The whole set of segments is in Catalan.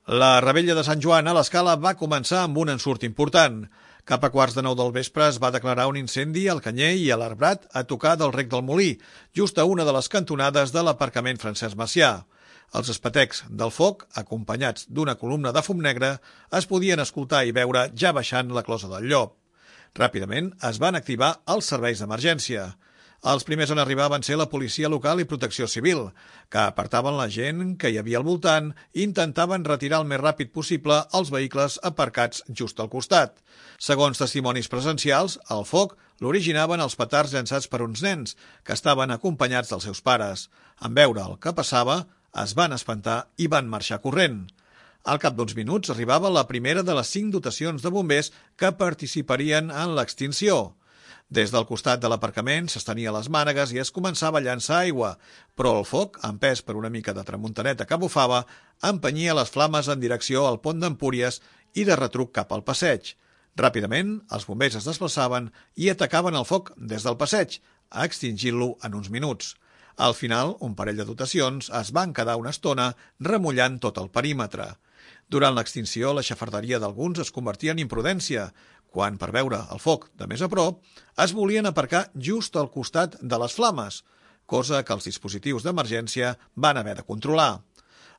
La revetlla de Sant Joan a l'Escala va començar amb un ensurt important. Cap a 8:45 del vespre es va declarar un incendi al Canyer i a l'Arbrat a tocar del Rec del Molí, just a una de les cantonades de l'aparcament Francesc Macià. Els espetecs del foc, acompanyats d'una columna de fum negre, es podien escoltar i veure ja baixant la closa del Llop. Ràpidament es van activar els serveis d'emergència. Els primers en arribar van ser la policia local i protecció civil, que apartaven la gent que hi havia al voltant i intentaven retirar el més ràpid possible els vehicles aparcats just al costat. Segons testimonis presencials, el foc l'originaven els petards llançats per uns nens, que estaven acompanyats dels seus pares. En veure el que passava, es van espantar i van marxar corrent. Al cap d'uns minuts arribava la primera de les 5 dotacions de bombers que participarien en l'extinció. Des del costat de l'aparcament s'estenia les mànegues i es començava a llançar aigua, però el foc, empès per una mica de tramuntaneta que bufava, empenyia les flames en direcció al pont d'Empúries i de retruc cap al passeig. Ràpidament, els bombers es desplaçaven i atacaven el foc des del passeig, extingint-lo en uns minuts. Al final, un parell de dotacions es van quedar una estona remullant tot el perímetre. Durant l'extinció, la xafarderia d'alguns es convertia en imprudència, quan, per veure el foc de més a prop, es volien aparcar just al costat de les flames, cosa que els dispositius d'emergència van haver de controlar.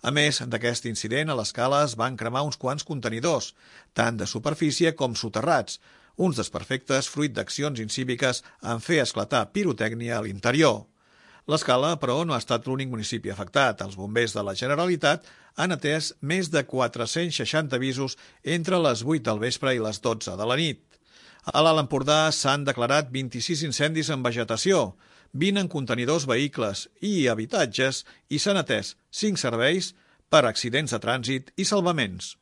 A més d'aquest incident, a l'Escala es van cremar uns quants contenidors, tant de superfície com soterrats, uns desperfectes fruit d'accions incíviques en fer esclatar pirotècnia a l'interior. L'Escala, però, no ha estat l'únic municipi afectat. Els bombers de la Generalitat han atès més de 460 avisos entre les 8 del vespre i les 12 de la nit. A l'Alt Empordà s'han declarat 26 incendis en vegetació, 20 en contenidors, vehicles i habitatges i s'han atès 5 serveis per accidents de trànsit i salvaments.